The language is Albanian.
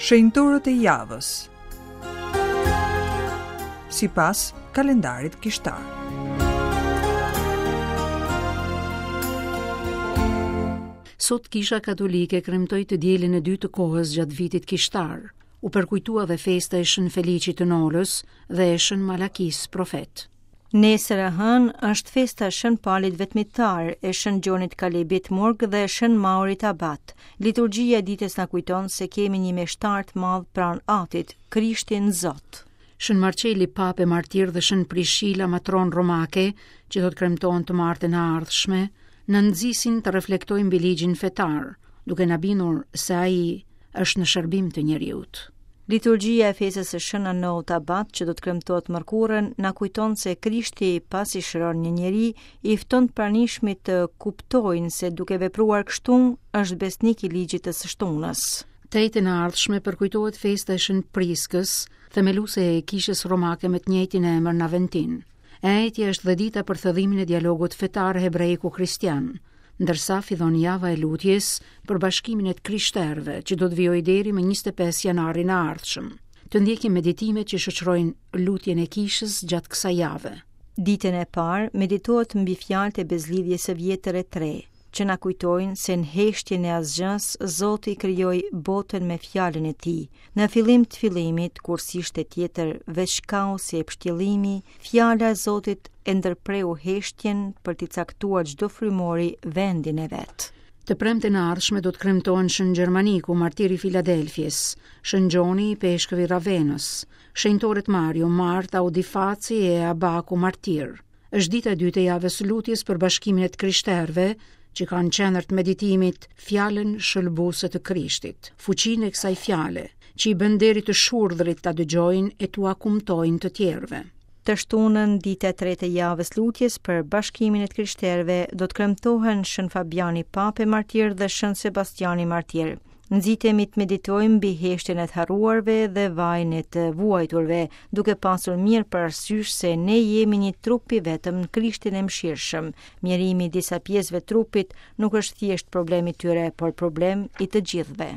Shenjtorët e javës. Sipas kalendarit kishtar. Sot Kisha Katolike kremtoi të dielën e dytë të kohës gjatë vitit kishtar. U përkujtua dhe festa e Shën Feliçit të Nolës dhe e Shën Malakisë profet. Nesër e hënë është festa e Shën Palit Vetmitar, e Shën Gjonit Kalebit murg dhe e Shën Maurit Abat. Liturgjia e ditës na kujton se kemi një meshtar të madh pranë Atit, Krishtin Zot. Shën Marçeli Papë e martir dhe Shën Prishila matronë romake, që do të kremtohen të martën e ardhshme, na nxisin të reflektojmë mbi ligjin fetar, duke na bindur se ai është në shërbim të njeriut. Liturgjia e festës së Shën Anout Abat, që do të kremtohet të mërkurën, na kujton se Krishti, pasi shëron një njeri, i fton të pranishmit të kuptojnë se duke vepruar kështu, është besnik i ligjit të së shtunës. Të enjten e ardhshme përkujtohet festa e Shën Priskës, themeluese e Kishës Romake me të njëjtin emër në Aventin. E enjtja është dhe dita për thellimin e dialogut fetar hebrejko-kristian, ndërsa fillon java e lutjes për bashkimin e të krishterëve, që do të vijojë deri më 25 janarin e ardhshëm. Të ndjekim meditimet që shoqërojnë lutjen e kishës gjatë kësaj jave. Ditën e parë meditohet mbi fjalët e Besëlidhjes së Vjetër e të Re, që na kujtojnë se në heshtjen e asgjësë Zoti krijoi botën me fjalën e tij. Në fillim të fillimit, kur s'ishte tjetër veç kaosi e pështjellimi, fjala e Zotit e ndërpreu heshtjen për t'i caktuar çdo frymori vendin e vet. Të premten e ardhshme do të kremtohen Shën Gjermaniku, martir i Filadelfies, Shën Gjoni, ipeshkëv i Ravenës, shenjtorët Mario, Marta, Audifaci e Abaku martirë. Është dita e dytë e javës së lutjes për bashkimin e të krishterëve, që ka në qendër të meditimit fjalën shëlbuese të Krishtit, fuqinë e kësaj fjale, që i bën deri të shurdhrit ta dëgjojnë e t'ua kumtojnë të tjerëve. Të shtunën, dita e tretë e javës lutjes për bashkimin e të krishterëve, do të kremtohen Shën Fabiani Papë e Martir dhe Shën Sebastiani Martir. Nxitemi të meditojmë mbi heshtjen e të harruarve dhe vajin e të vuajturve, duke pasur mirë parasysh se ne jemi një trup i vetëm në Krishtin e mëshirshëm. Mjerimi i disa pjesëve të trupit nuk është thjesht problem i tyre, por problem i të gjithëve.